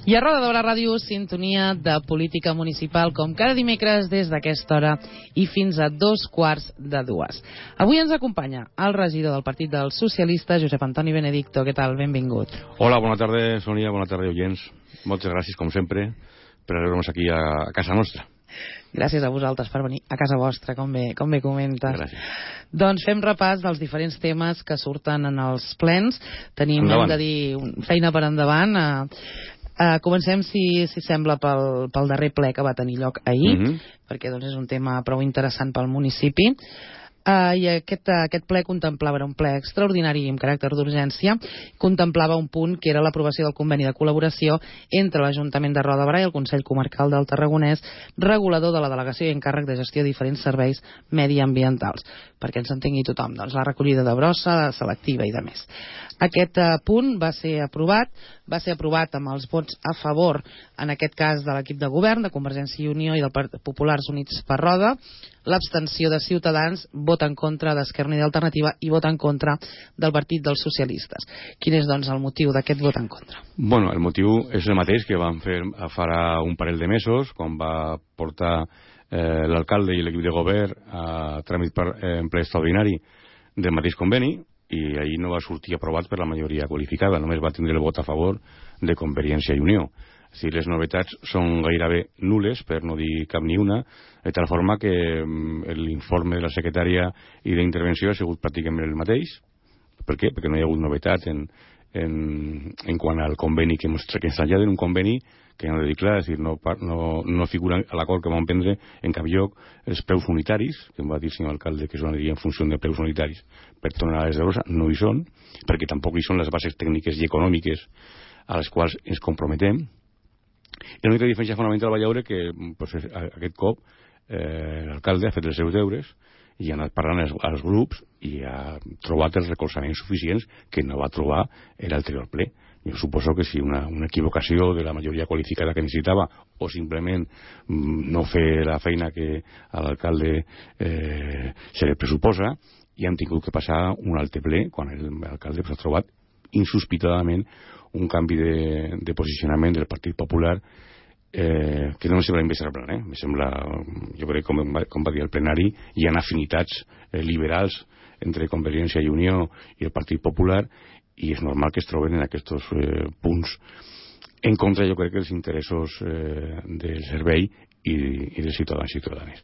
I a Roda de Barà Ràdio, sintonia de política municipal, com cada dimecres des d'aquesta hora i fins a 2:15. Avui ens acompanya el regidor del Partit dels Socialistes, Josep Antoni Benedicto. Què tal? Benvingut. Hola, bona tarda, Sònia, bona tarda, oients. Moltes gràcies, com sempre, per rebre-nos aquí a casa nostra. Gràcies a vosaltres per venir a casa vostra, com bé comentes. Gràcies. Doncs fem repàs dels diferents temes que surten en els plens. Tenim, endavant. hem de dir, feina per endavant. Comencem, si sembla, pel darrer ple que va tenir lloc ahir, perquè doncs, és un tema prou interessant pel municipi. I aquest ple contemplava, era un ple extraordinari amb caràcter d'urgència, contemplava un punt que era l'aprovació del conveni de col·laboració entre l'Ajuntament de Roda de Barà i el Consell Comarcal del Tarragonès, regulador de la delegació i encàrrec de gestió de diferents serveis mediambientals, perquè ens entengui tothom, doncs la recollida de brossa, selectiva i de més. Aquest punt va ser aprovat amb els vots a favor, en aquest cas de l'equip de govern, de Convergència i Unió i del Partit Populars Units per Roda, l'abstenció de Ciutadans, vot en contra d'Esquerra Unida i Alternativa i vot en contra del Partit dels Socialistes. Quin és, doncs, el motiu d'aquest vot en contra? Bueno, el motiu és el mateix que vam fer farà un parell de mesos, quan va portar l'alcalde i l'equip de govern a tràmit en ple extraordinari del mateix conveni, i ahir no va sortir aprovat per la majoria qualificada, només va tindre el vot a favor de Convergència i Unió. És a dir, les novetats són gairebé nules, per no dir cap ni una, de tal forma que l'informe de la secretària i d'intervenció ha sigut pràcticament el mateix. Per què? Perquè no hi ha hagut novetat en quant al conveni que ens traslladen, un conveni que no ha de dir clar, és a dir, no figura a l'acord que vam prendre en cap lloc els preus unitaris, que em va dir el senyor alcalde que s'aniria en funció de preus unitaris per tonelades de brossa, no hi són, perquè tampoc hi són les bases tècniques i econòmiques a les quals ens comprometem. I l'única diferència fonamental va veure que aquest cop l'alcalde ha fet els seus deures i ha anat parlant als grups i ha trobat els recolzaments suficients que no va trobar l'anterior ple. Jo suposo que si una equivocació de la majoria qualificada que necessitava o simplement no fer la feina que a l'alcalde se li pressuposa, i han tingut que passar un altre ple quan l'alcalde ha trobat insospitadament un canvi de posicionament del Partit Popular que no em sembla inversable, me sembla, jo crec, com va dir el plenari, hi ha afinitats liberals entre Convergència i Unió i el Partit Popular, i és normal que es troben en aquests punts en contra, jo crec, dels interessos del servei i dels ciutadans i ciutadanes.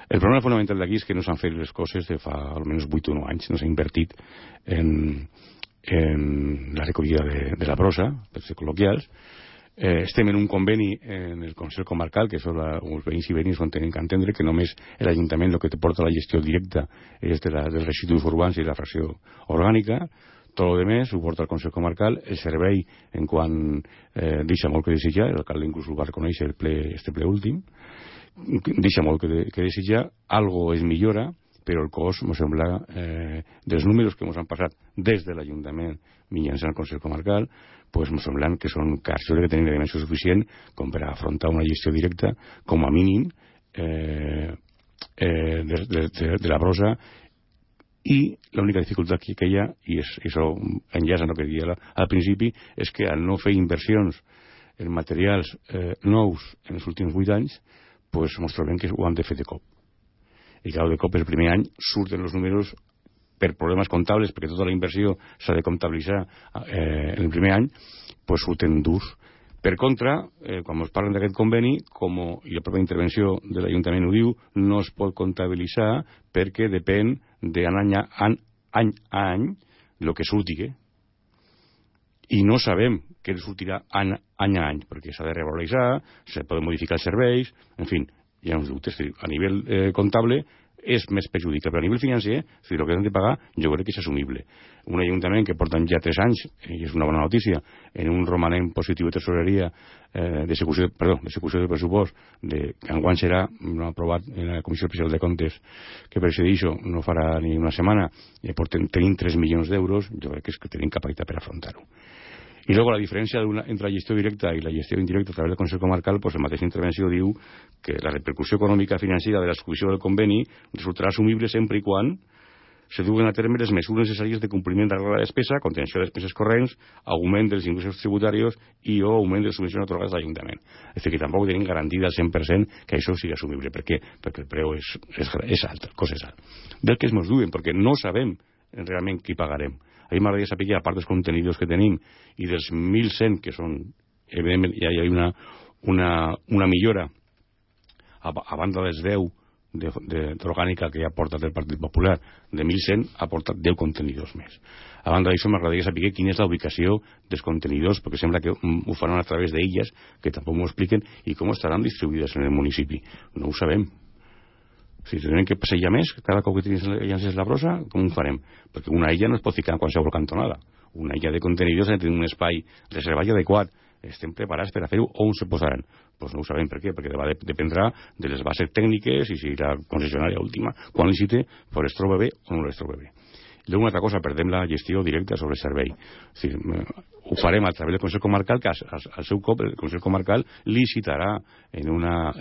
El problema fonamental d'aquí és que no s'han fet les coses de fa almenys 8 o 9 anys, no s'ha invertit en la recollida de la brossa, per ser col·loquials. Estem en un conveni en el Consell Comarcal, que són els veïns i veïnes on tenen que entendre que només l'Ajuntament el que porta la gestió directa és dels residus urbans i la fracció orgànica. Tot el més ho porta el Consell Comarcal. El servei, en quant deixa molt que desitjar, l'alcalde inclús ho va reconèixer este ple últim, deixa molt que desitjar, algo es millora, però el cost, em sembla, dels números que ens han passat des de l'Ajuntament mitjançant el Consell Comarcal, doncs em semblen que són cars. Jo crec que tenim la dimensió suficient com per afrontar una gestió directa, com a mínim, de la brossa. I l'única dificultat que hi ha, i això enllaça amb el que deia al principi, és que al no fer inversions en materials nous en els últims 8 anys, doncs ens trobem que ho han de fer de cop. I clar, de cop el primer any surten els números per problemes comptables, perquè tota la inversió s'ha de comptabilitzar en el primer any, doncs surten durs. Per contra, quan ens parlen d'aquest conveni, i la pròpia intervenció de l'Ajuntament ho diu, no es pot comptabilitzar perquè depèn d'any a any el que surti. I no sabem què sortirà any a any, perquè s'ha de revaloritzar, se poden modificar els serveis, en fi, hi ha uns dubtes. A nivell comptable és més perjudicial, però a nivell financer, si el que han de pagar, jo crec que és assumible. Un ajuntament que porten ja 3 anys, i és una bona notícia, en un romanent positiu de tesoreria d'execució de pressupost, que enguany serà aprovat en la Comissió Especial de Comptes que presideixo, no farà ni una setmana, i tenim 3 milions d'euros, jo crec que tenim capacitat per afrontar-ho. I luego la diferència entre la gestió directa i la gestió indirecta a través del Consell Comarcal, pues, la mateixa intervenció diu que la repercussió econòmica financera de l'execució del conveni resultarà assumible sempre i quan se duen a terme les mesures necessàries de compliment de la regla de despesa, contenció de despeses corrents, augment dels ingressos tributaris i o augment de les subvencions atorgades a l'Ajuntament. És a dir, que tampoc tenim garantida al 100% que això sigui assumible. Per què? Perquè el preu és alt, el cost és alt. Del que es mos duen, perquè no sabem realment qui pagarem. A mi m'agradaria saber, a part dels contenidors que tenim i dels 1.100, que són, evidentment, ja hi ha una millora a banda dels 10 d'orgànica que ja ha portat el Partit Popular, de 1.100 ha portat 10 contenidors més. A banda d'això m'agradaria saber quina és la ubicació dels contenidors, perquè sembla que ho faran a través d'elles, que tampoc m'ho expliquen, i com estaran distribuïdes en el municipi. No ho sabem. Si tenim que passejar més cada cop que llances la brossa, com ho farem? Perquè una illa no es pot ficar en qualsevol cantonada. Una illa de contenidors ha de tenir un espai reservat i adequat. Estem preparats per a fer-ho, on se posaran? Doncs no ho sabem per què, perquè dependrà de les bases tècniques i si la concessionària última, quan licite, pues es troba bé o no les troba bé. I una altra cosa, perdem la gestió directa sobre el servei. És dir, ho farem a través del Consell Comarcal, que al seu cop el Consell Comarcal licitarà en una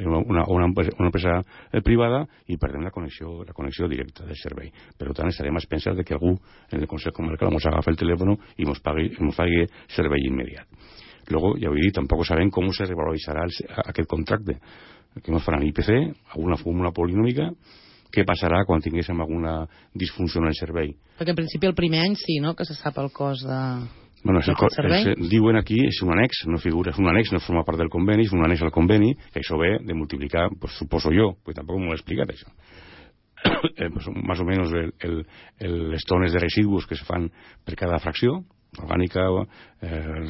empresa privada i perdem la connexió directa del servei. Per tant, estarem a expenses de que algú en el Consell Comarcal ens agafi el telèfon i ens pagui servei immediat. Luego, ja ho he dit, tampoc sabem com se revaloritzarà aquest contracte. Què ens faran IPC, alguna fórmula polinòmica, què passarà quan tinguéssim alguna disfunció en el servei. Perquè en principi el primer any sí, no?, que se sap el cost del servei. Diuen aquí, és un annex, no figura, és un annex, no forma part del conveni, és un annex al conveni, que això ve de multiplicar, pues, suposo jo, perquè tampoc m'ho he explicat això. Pues, más o menos les tones de residus que se fan per cada fracció, orgànica,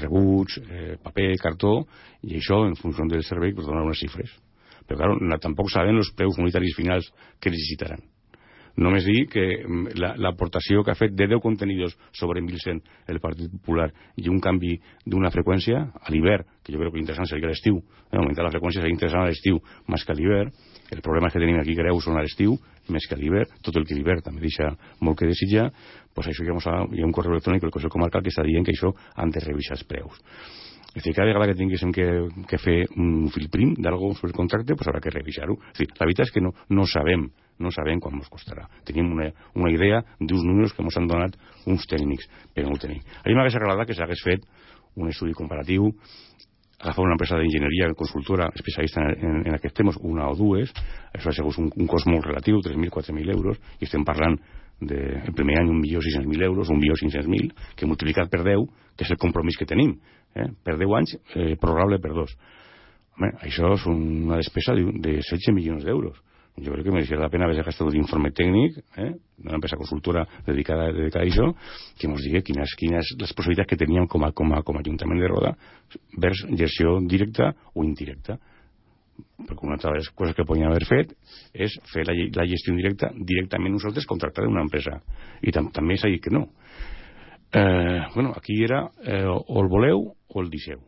rebuig, paper, cartó, i això, en funció del servei, pues, dona unes xifres. Però, clar, tampoc saben els preus unitaris finals que necessitaran. Només dir que l'aportació que ha fet de 10 contenidors sobre 1.100 el Partit Popular i un canvi d'una freqüència a l'hivern, que jo crec que l'interessant seria l'estiu, augmentar la freqüència seria interessant a l'estiu més que a l'hivern. El problema que tenim aquí greus són a l'estiu més que a l'hivern, tot el que l'hivern també deixa molt que desitjar. Doncs això hi ha un correu electrònic del Consell Comarcal que està dient que això han de revisar els preus. És dir, cada vegada que tinguéssim que fer un fil prim d'algú sobre el contracte, doncs haurà que revisar-ho. La veritat és que no sabem quan ens costarà. Tenim una idea d'uns números que ens han donat uns tècnics, però no ho tenim. A mi m'hagués agradat que s'hagués fet un estudi comparatiu, agafar una empresa d'enginyeria consultora especialista en aquests temes, una o dues, això ha sigut un cost molt relatiu, 3.000, 4.000 euros, i estem parlant el primer any 1.600.000 euros, 1.500.000, que multiplicat per 10, que és el compromís que tenim, per 10 anys, prorrogable per 2. Home, això és una despesa de 16 milions d'euros. Jo crec que mereixia la pena haver gastat un informe tècnic d'una empresa consultora dedicada a això, que ens digui quines les possibilitats que teníem com a Ajuntament de Roda vers gestió directa o indirecta. Perquè una altra de les coses que podíem haver fet és fer la gestió indirecta directament nosaltres contractar una empresa. I també s'ha dit que no. Aquí era o el voleu o el deixeu.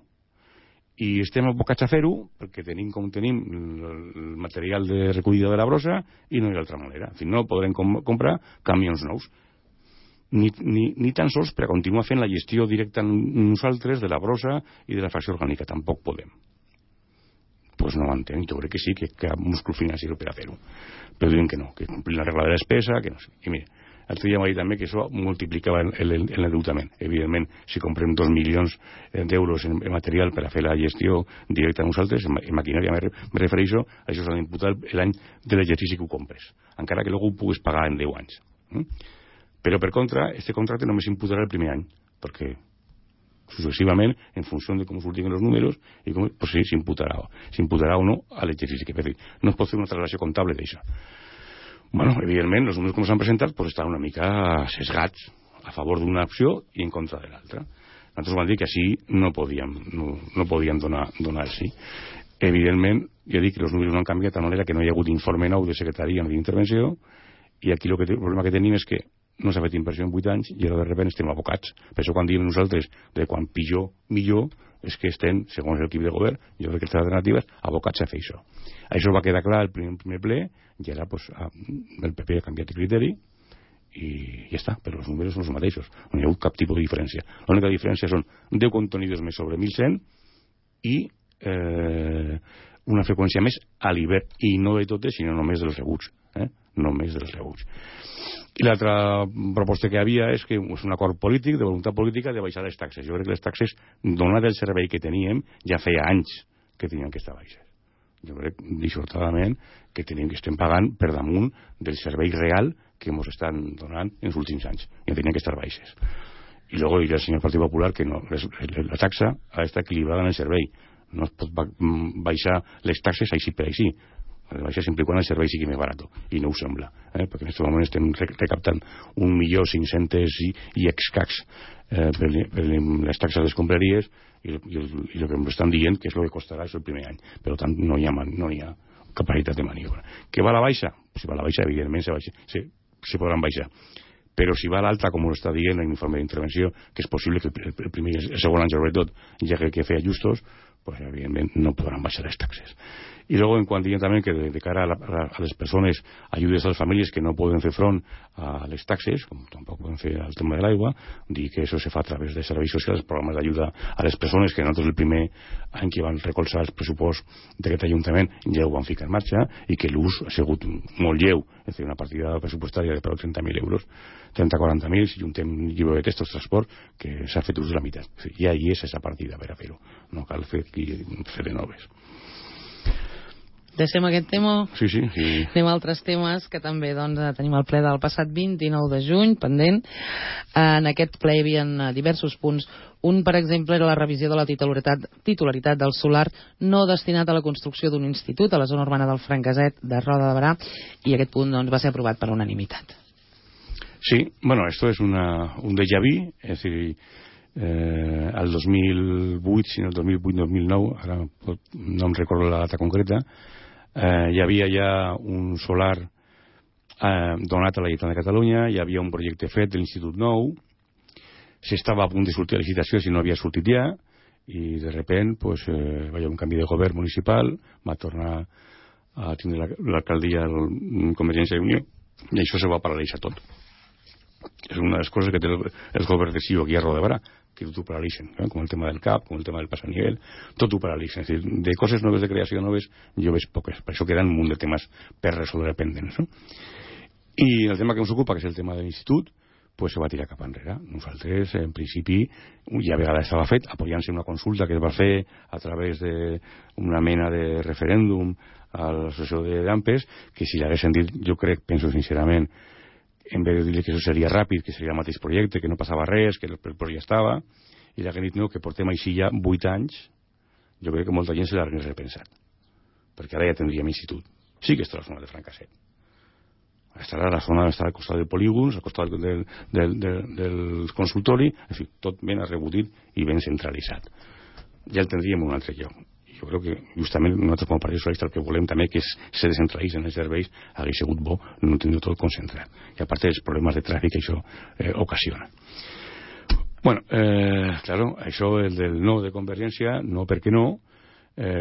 I estem abocats a fer-ho perquè tenim com tenim el material de recollida de la brossa i no hi ha altra manera. En fi, no podrem comprar camions nous. Ni tan sols per a continuar fent la gestió directa nosaltres de la brossa i de la fracció orgànica. Tampoc podem. Doncs no ho entenc. Jo crec que sí, que hi ha múscul financer per a fer-ho. Però diuen que no, que complir la regla de despesa, que no sé. I mira, l'altre dia m'ha dit també que això multiplicava l'endeutament. Evidentment, si comprem 2 milions d'euros en material per a fer la gestió directa a nosaltres, en maquinària me refereixo, això s'ha d'imputar l'any de l'exercici que ho compres, encara que ho puguis pagar en 10 anys. Però, per contra, aquest contracte només s'imputarà el primer any, perquè successivament, en funció de com surtin els números, i com, pues sí, s'imputarà o no a l'exercici que fer. No es pot fer una traslació comptable d'això. Bueno, evidentment, els números que s'han presentat pues, estan una mica sesgats a favor d'una opció i en contra de l'altra. Nosaltres vam dir que així no podíem donar el sí. Evidentment, ja dic que els números no han canviat de manera que no hi ha hagut informe nou de secretaria ni d'intervenció, i aquí el problema que tenim és que no s'ha fet inversió en 8 anys i ara de sobte estem abocats. Per això quan diem nosaltres de quan pitjor, millor, és que estem, segons l'equip de govern, jo crec que les alternatives, abocats a fer això. Això va quedar clar el primer ple i ara pues, el PP ha canviat de criteri i ja està, però els números són els mateixos. No hi ha hagut cap tipus de diferència. L'única diferència són 10 contenidors més sobre 1.100 i una freqüència més a l'hivern, i no de totes, sinó només dels rebuts. Només dels rebuts. I l'altra proposta que hi havia és que és un acord polític, de voluntat política, de baixar les taxes. Jo crec que les taxes, donat el servei que teníem, ja feia anys que tenien que estar baixes. Jo crec, dissortadament, que tenim que estem pagant per damunt del servei real que ens estan donant en els últims anys. I tenien que estar baixes. I luego dirà el senyor Partit Popular que no, la taxa ha d'estar equilibrada en el servei. No es pot baixar les taxes així per així. Les baixes sempre i quan el servei sigui més barat. I no ho sembla, perquè en aquest moment estem recaptant 1.500.000 i escacs per les taxes de les escombraries i el que ens estan dient que és el que costarà el primer any. Per tant, no hi ha capacitat de maniobra. Que va a la baixa? Si va a la baixa, evidentment se podran baixar. Però si va a l'alta, com ho està dient l'informe d'intervenció, que és possible que el primer i el segon any, sobretot, ja que fer ajustos, pues evidentment no podran baixar les taxes. Y luego, en cuanto también que de cara a las personas, ayudes a las familias que no pueden fer front a les taxes, com tampoc poden fer al tema de l'aigua, dir que això se fa a través de serveis socials, programes d'ajuda a les persones, que nosaltres el primer any que van recolzar el pressupost d'aquest Ajuntament ja ho van ficar en marxa, i que l'ús ha sigut molt lleu, és a dir, una partida pressupostària de prou 30.000 euros, 30-40.000, si juntem llibre de textos, transport, que s'ha fet ús de la meitat. O sigui, ja hi és aquesta partida per a fer-ho, no cal fer de noves. Deixem aquest tema. Sí. Anem a altres temes que també tenim el ple del passat 29 de juny pendent. En aquest ple hi havia diversos punts. Un, per exemple, era la revisió de la titularitat del solar no destinat a la construcció d'un institut a la zona urbana del Franqueset de Roda de Berà, i aquest punt va ser aprovat per unanimitat. Sí, bueno, esto es un déjà vu, es decir, al 2008, si no el 2008-2009, ara no em recordo la data concreta, hi havia ja un solar donat a la Generalitat de Catalunya, hi havia un projecte fet de l'Institut Nou, s'estava a punt de sortir a licitació si no havia sortit ja, i de repent pues, va haver un canvi de govern municipal, va tornar a tindre l'alcaldia de Convergència i Unió, i això se va paralitzar tot. És una de les coses que té el govern de Ciu aquí a Roda de Berà, que tot ho paralitzen, com el tema del CAP, com el tema del passanivel, tot ho paralitzen. És a dir, de coses noves, de creació noves, jo veig poques. Per això queden un munt de temes per resoldre pendents. No? I el tema que ens ocupa, que és el tema de l'institut, pues se va tirar cap enrere. Nosaltres, en principi, ja a vegades estava fet, apoyant-se una consulta que es va fer a través d'una mena de referèndum a l'associació d'AMPES, que si l'haguessin dit, jo crec, penso sincerament, en vez de dir que això seria ràpid, que seria el mateix projecte, que no passava res, que el projecte estava, i l'haguem dit no, que portem així ja 8 anys, jo crec que molta gent se l'hagués repensat, perquè ara ja tindríem institut. Sí que està a la zona de Franqueset. Estarà a la zona, estarà al costat del polígon, al costat del consultori, en fi, tot ben arrebotit i ben centralitzat. Ja el tindríem en un altre lloc. Jo crec que justament nosaltres com a Partit Socialista el que volem també que se descentralitzen els serveis hauria sigut bo no tindre tot concentrat, i a part dels problemes de tràfic que això ocasiona. Bueno, claro, això el del no de Convergència, no perquè no,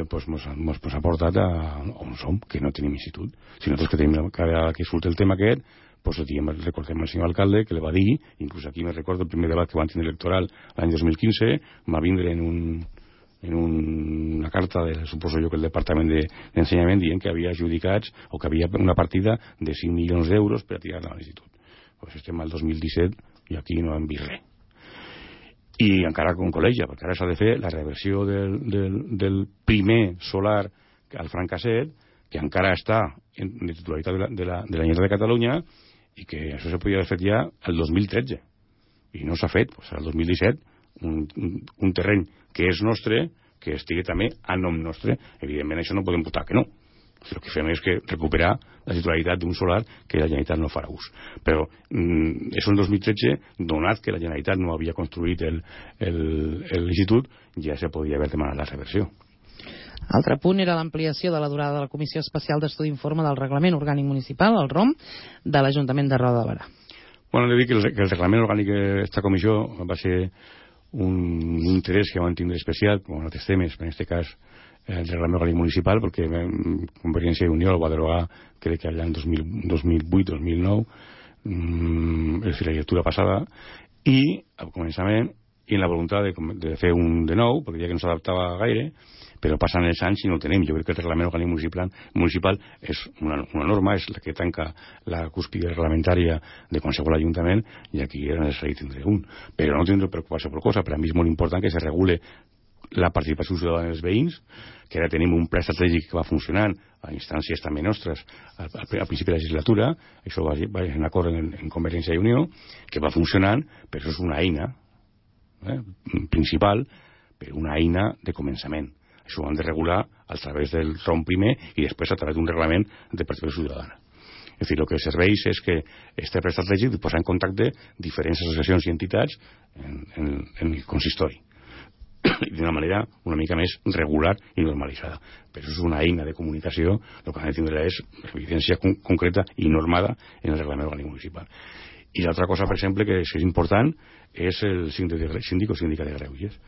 pues mos ha portat a on som, que no tenim institut. Si nosaltres que tenim cada que surt el tema aquest, pues recordem el senyor alcalde que le va dir, inclús aquí me recordo el primer debat que van tenir electoral l'any 2015, va vindre en una carta suposo jo que el Departament d'Ensenyament dient que havia adjudicats o que havia una partida de 5 milions d'euros per a tirar-la a l'institut. Pues estem al 2017 i aquí no hem vist res. I encara con col·legia, perquè ara s'ha de fer la reversió del primer solar al Franqueset, que encara està en titularitat de la Generalitat de Catalunya, i que això se podia haver fet ja el 2013. I no s'ha fet, pues al 2017, un terreny que és nostre, que estigui també a nom nostre. Evidentment això no podem votar que no. El que fem és que recuperar la titularitat d'un solar que la Generalitat no farà ús. Però això en 2013, donat que la Generalitat no havia construït l'institut, ja se podia haver demanat la reversió. Altre punt era l'ampliació de la durada de la Comissió Especial d'Estudi Informe del Reglament Orgànic Municipal, el ROM, de l'Ajuntament de Roda de Berà. Bueno, he de dir que el Reglament Orgànic d'esta comissió va ser un interès que van tindre especial, com en altres temes, en aquest cas el Reglament Orgànic Municipal, perquè Convergència i Unió el va derogar, crec que l'any 2008-2009, és la legislatura passada, i al començament i en la voluntat de fer un de nou, perquè ja que no s'adaptava gaire, però passen els anys i no el tenim. Jo crec que el reglament orgànic municipal és una norma, és la que tanca la cúspide reglamentària de qualsevol ajuntament, i aquí era necessari tindre un. Però no tindre preocupació per cosa. Per a mi és molt important que se regule la participació ciutadana dels veïns, que ara tenim un pla estratègic que va funcionant a instàncies també nostres al principi de la legislatura, això va en acord en Convergència i Unió, que va funcionant, però això és una eina principal, però una eina de començament. Això ho han de regular a través del tronc primer i després a través d'un reglament de participació ciutadana. És a dir, el que serveix és que este pla estratègic posa en contacte diferents associacions i entitats en el consistori, d'una manera una mica més regular i normalitzada. Però és una eina de comunicació, el que han de tindre és evidència concreta i normada en el reglament orgànic municipal. I l'altra cosa, per exemple, que és important, és el síndic o síndica de greuges.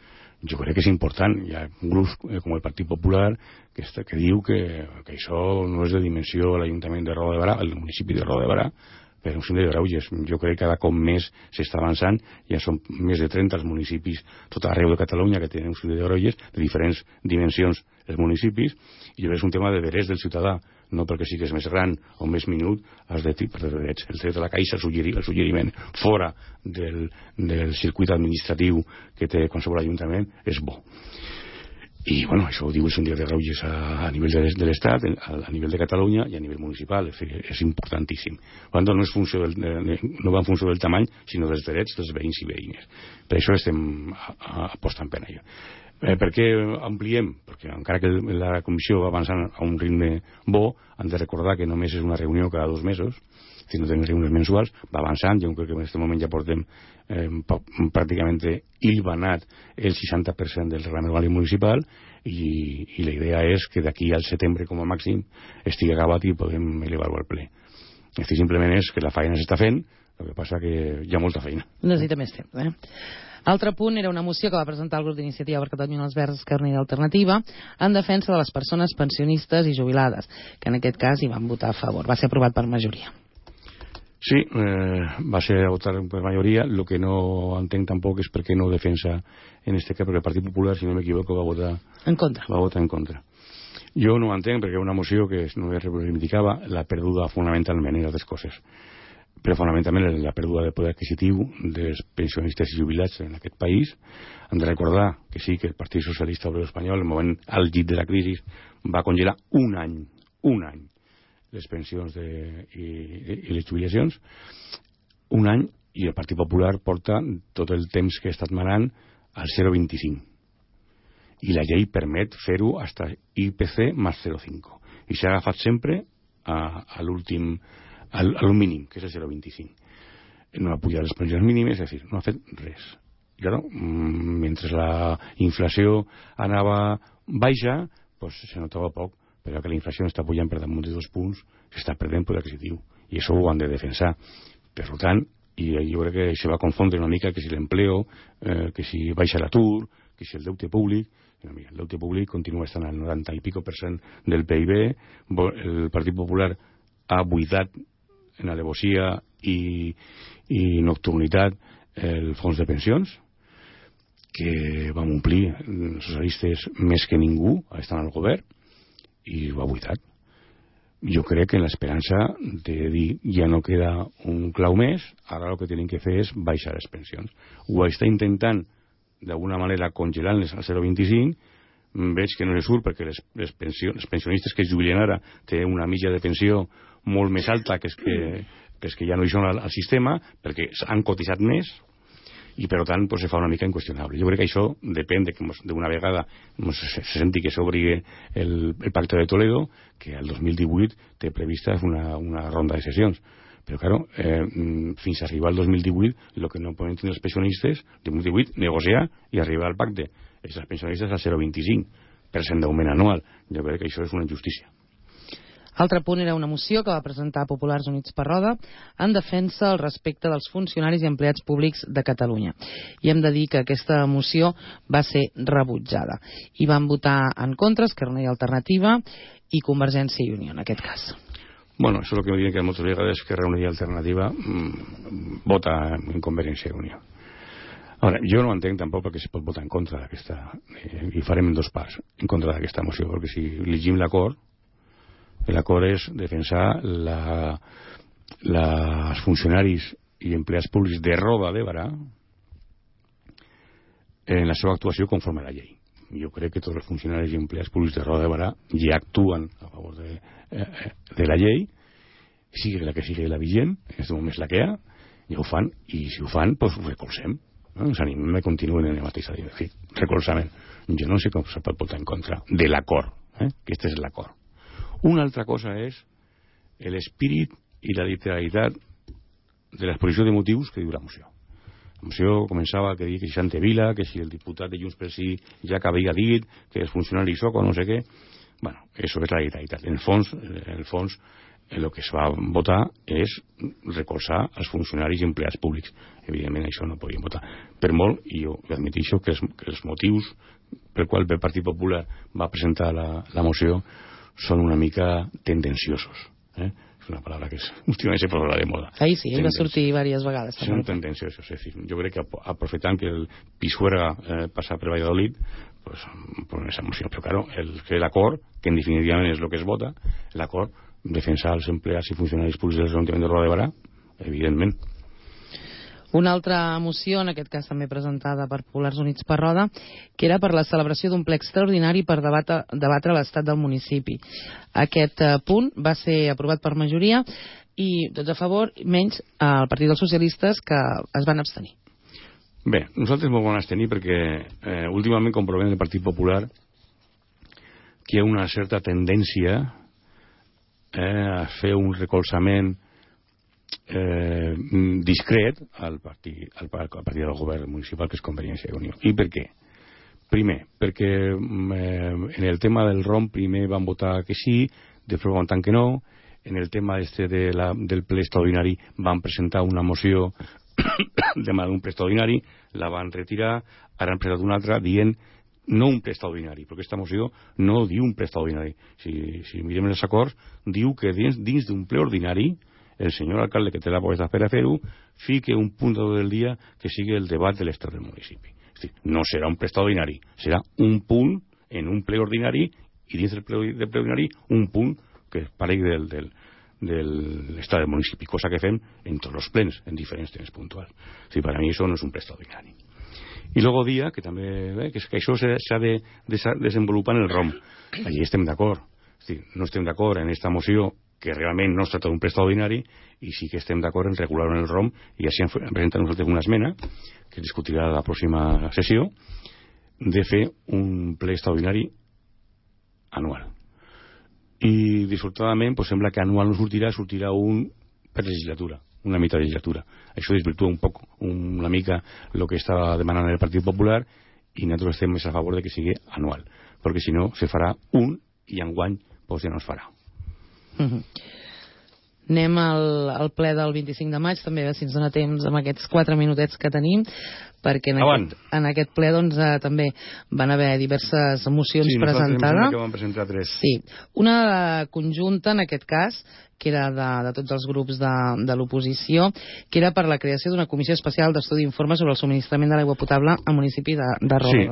Jo crec que és important. Hi ha grups com el Partit Popular que diu que això no és de dimensió a l'Ajuntament de Roda de Barà, al municipi de Roda de Barà, per un síndic de greuges. Jo crec que cada cop més s'està avançant. Ja són més de 30 els municipis tot arreu de Catalunya que tenen un síndic de greuges de diferents dimensions els municipis, i és un tema de drets del ciutadà, no perquè sigues més gran o més minut has de perdre drets. El dret de la Caixa, el suggeriment fora del circuit administratiu que té qualsevol ajuntament és bo. I bueno, això ho diu el síndic de greuges a nivell de l'Estat, a nivell de Catalunya i a nivell municipal. És importantíssim. No va en funció del tamany, sinó dels drets dels veïns i veïnes. Per això estem apostant per allò. Per què ampliem? Perquè encara que la comissió va avançant a un ritme bo, han de recordar que només és una reunió cada 2 mesos, si no tenim reunions mensuals, va avançant. Jo crec que en aquest moment ja portem pràcticament hilvanat el 60% del reglament orgànic municipal, i la idea és que d'aquí al setembre com a màxim estigui acabat i podem elevar-ho al ple. Simplement és que la feina s'està fent, el que passa que hi ha molta feina. Necessita més temps, Altre punt era una moció que va presentar el grup d'Iniciativa per Catalunya els Verds, Esquerra Unida i Alternativa en defensa de les persones pensionistes i jubilades, que en aquest cas hi van votar a favor. Va ser aprovat per majoria. Sí, va ser votat per majoria. El que no entenc tampoc és per què no defensa en este cas, perquè el Partit Popular, si no m'equivoco, va votar en contra. Jo no ho entenc, perquè una moció que no reivindicava la perduda fonamentalment en altres coses, però fonamentalment la pèrdua de poder adquisitiu dels pensionistes i jubilats en aquest país. Hem de recordar que sí, que el Partit Socialista Obrero Espanyol, en el moment àlgid de la crisi, va congelar un any les pensions i les jubilacions, un any, i el Partit Popular porta tot el temps que ha estat manant al 0,25, i la llei permet fer-ho fins a IPC més 0,5, i s'ha agafat sempre a l'últim, al mínim, que és el 0,25. No ha pujat les pensions mínimes, és a dir, no ha fet res. I claro, mentre la inflació anava baixa, pues se notava poc, però que la inflació està pujant per damunt de 2 punts, s'està perdent poder adquisitiu, i això ho han de defensar. Per tant, i jo crec que se va confondre una mica que si l'empleo, que si baixa l'atur, que si el deute públic. El deute públic continua estant al 90 i pico % del PIB. El Partit Popular ha buidat en alevosia i nocturnitat el fons de pensions, que vam omplir els socialistes més que ningú estant al govern, i ho ha buidat. Jo crec que en l'esperança de dir ja no queda un clau més, ara el que tenen que fer és baixar les pensions. Ho està intentant d'alguna manera congelant-les al 0,25. Veig que no se surt, perquè els pensionistes que es jubilen ara tenen una mitja de pensió molt més alta que els que ja no hi són al sistema, perquè han cotitzat més, i per tant se fa una mica inqüestionable. Jo crec que això depèn de que d'una vegada se senti que s'obri el Pacte de Toledo, que el 2018 té prevista una ronda de sessions. Però, claro, fins a arribar al 2018, el que no poden tenir els pensionistes, el 2018, negociar i arribar al pacte. Els pensionistes al 0,25% d'augment anual. Jo crec que això és una injustícia. Altre punt era una moció que va presentar Populars Units per Roda en defensa al respecte dels funcionaris i empleats públics de Catalunya. I hem de dir que aquesta moció va ser rebutjada. I van votar en contra Esquerra Unida i Alternativa i Convergència i Unió, en aquest cas. Bueno, això és el que me diuen que moltes vegades Esquerra Unida i Alternativa vota en Convergència i Unió. Ara, jo no entenc tampoc perquè se pot votar en contra d'aquesta, i farem en 2 parts, en contra d'aquesta moció, perquè si llegim l'acord és defensar els funcionaris i empleats públics de Roda de Barà en la seva actuació conforme a la llei. Jo crec que tots els funcionaris i empleats públics de Roda de Barà ja actuen a favor de la llei, sigui la que sigui la vigent, en aquest moment és la que hi ha, ja ho fan, i si ho fan, doncs ho recolzem. No? Ens animem a continuar en el mateix recolzament. Jo no sé com se pot votar en contra de l'acord, aquest és l'acord. Una altra cosa és l'espírit i la literalitat de l'exposició de motius que diu la moció. La moció començava que deia que si Santevila, que si el diputat de Junts pel Sí ja que havia dit que els funcionaris soc o no sé què. Bueno, això és la literalitat. En el fons el que es va votar és recolzar els funcionaris i empleats públics. Evidentment això no podíem votar per molt, i jo admetixo que els motius per qual el Partit Popular va presentar la moció són una mica tendenciosos. És una paraula que últimament se posa de moda. Ahí sí, va sortir diverses vegades. Són tendenciosos, és dir, jo crec que aprofitant que el Pisuerga passa per Valladolid, pues esa moció, però claro, l'acord, que en definitivament és el que es vota, l'acord defensar els empleats i funcionaris públics de l'Ajuntament de Roda de Barà, evidentment. Una altra moció, en aquest cas també presentada per Populars Units per Roda, que era per la celebració d'un ple extraordinari per debatre l'estat del municipi. Aquest punt va ser aprovat per majoria i tots a favor, menys el Partit dels Socialistes, que es van abstenir. Bé, nosaltres ens vam abstenir perquè últimament comprovem el Partit Popular que hi ha una certa tendència a fer un recolzament discret al partit del govern municipal, que és Convergència i Unió. I per què? Primer, perquè en el tema del ROM primer van votar que sí, després van votar que no. En el tema del ple extraordinari van presentar una moció d'un ple extraordinari, la van retirar, ara han presentat una altra dient no un ple extraordinari, perquè aquesta moció no diu un ple extraordinari. Si mirem els acords, diu que dins d'un ple ordinari el senyor alcalde, que té la potestat per a fer-ho, fique un punt del dia que sigui el debat de l'estat del municipi. És dir, no serà un ple extraordinari, serà un punt en un ple ordinari, i dins del ple ordinari un punt que paregui de l'estat del municipi, cosa que fem en tots els plens, en diferents temes puntuals. És dir, per a mi això no és un ple extraordinari. I luego dia, que també que això s'ha de desenvolupar en el ROM. Allí estem d'acord. És dir, no estem d'acord en aquesta moció que realment no es tracta d'un ple extraordinari, i sí que estem d'acord en regular-ho en el ROM, i així hem presentat nosaltres una esmena que es discutirà a la pròxima sessió, de fer un ple extraordinari anual. I dissortadament sembla que anual no sortirà un per legislatura, una mitja legislatura. Això desvirtua un poc, una mica el que estava demanant el Partit Popular, i nosaltres estem més a favor de que sigui anual, perquè si no se farà un i enguany ja no es farà. Anem al ple del 25 de maig, també si ens dona temps amb aquests 4 minutets que tenim, perquè en aquest ple també van haver diverses mocions presentades. Sí, vam presentar 3. Sí, una conjunta en aquest cas, que era de tots els grups de l'oposició, que era per la creació d'una comissió especial d'estudi d'informes sobre el subministrament de l'aigua potable al municipi de Roda. Sí,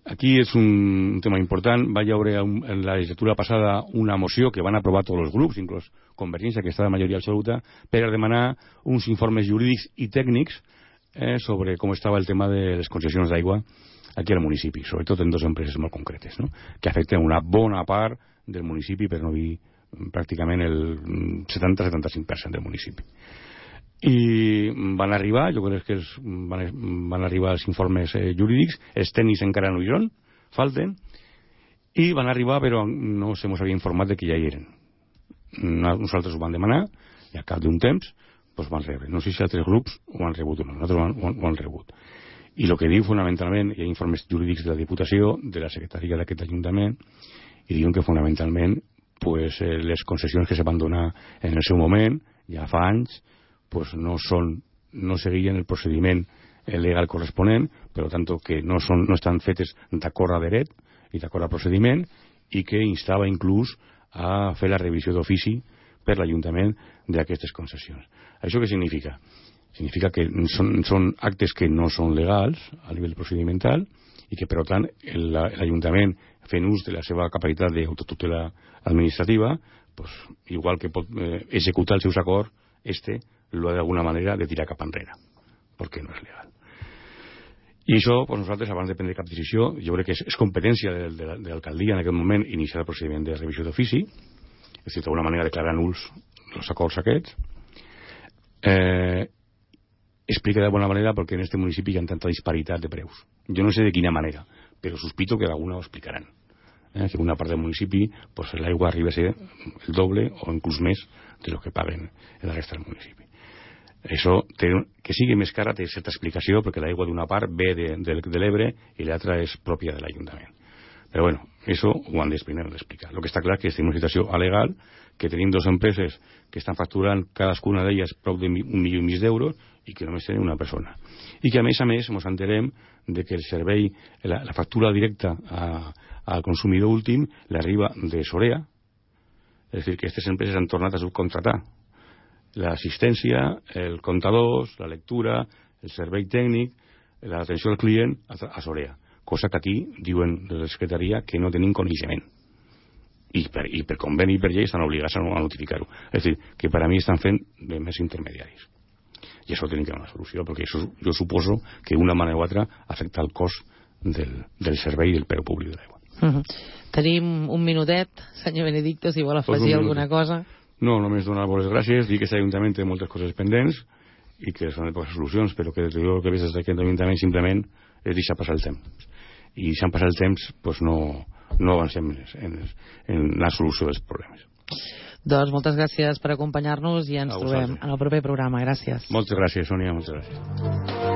aquí és un tema important. Va hi haver en la legislatura passada una moció que van aprovar tots els grups, inclús Convergència, que està de majoria absoluta, per demanar uns informes jurídics i tècnics sobre com estava el tema de les concessions d'aigua aquí al municipi, sobretot en 2 empreses molt concretes, no? Que afecten una bona part del municipi, per no dir pràcticament el 70-75% del municipi. I van arribar, jo crec que van arribar els informes jurídics, els tècnics encara no hi són, falten, i van arribar però no se mos havia informat de que ja hi eren. Nosaltres ho van demanar i al cap d'un temps van rebre. No sé si altres grups ho han rebut o no, nosaltres ho han rebut. I el que diu fonamentalment, hi ha informes jurídics de la Diputació, de la Secretaria d'aquest Ajuntament, i diuen que fonamentalment les concessions que se van donar en el seu moment, ja fa anys, no seguien el procediment legal corresponent, per tant que no estan fetes d'acord a dret i d'acord a procediment, i que instava inclús a fer la revisió d'ofici per l'Ajuntament d'aquestes concessions. Això què significa? Significa que són actes que no són legals a nivell procedimental i que, per tant, l'Ajuntament, fent ús de la seva capacitat d'autotutela administrativa, pues, igual que pot executar els seus acords, lo ha d'alguna manera de tirar cap enrere, perquè no és legal. I això, pues, nosaltres, abans de prendre cap decisió, jo crec que és competència de l'alcaldia en aquest moment iniciar el procediment de revisió d'ofici, és a dir, d'alguna manera declarar nuls els acords aquests. Explica de bona manera perquè en este municipi hi ha tanta disparitat de preus. Jo no sé de quina manera, però sospito que d'alguna ho explicaran. Que en una part del municipi pues, l'aigua arriba a ser el doble o inclús més de lo que paguen en la resta del municipi. Això, que sigui més cara, té certa explicació, perquè l'aigua d'una part ve de l'Ebre i l'altra és pròpia de l'Ajuntament. Però bueno, això ho han d'explicar. El que està clar és que estem en una situació alegal, que tenim dues empreses que estan facturant cadascuna d'elles prop de 1,5 milions d'euros i que només tenen una persona. I que a més ens enterem de que el servei, la factura directa al consumidor últim l'arriba de Sorea, és a dir, que aquestes empreses han tornat a subcontratar l'assistència, el comptadors, la lectura, el servei tècnic, l'atenció al client a Sorea, cosa que aquí diuen de la secretaria que no tenim coneixement. I per conveni i per llei estan obligats a notificar-ho. És a dir, que per a mi estan fent de més intermediaris. I això tenim que donar una solució, perquè això, jo suposo que d'una manera o altra afecta el cost del servei i del preu públic de l'aigua. Tenim un minutet, senyor Benedicto, si vol afegir alguna cosa. No, només donar-vos les gràcies, dir que aquest Ajuntament té moltes coses pendents i que són de poques solucions, però que jo el que veig des d'aquest Ajuntament simplement és deixar passar el temps. I deixant passar el temps pues no avancem en la solució dels problemes. Doncs moltes gràcies per acompanyar-nos i ens trobem en el proper programa. Gràcies. Moltes gràcies, Sònia, moltes gràcies.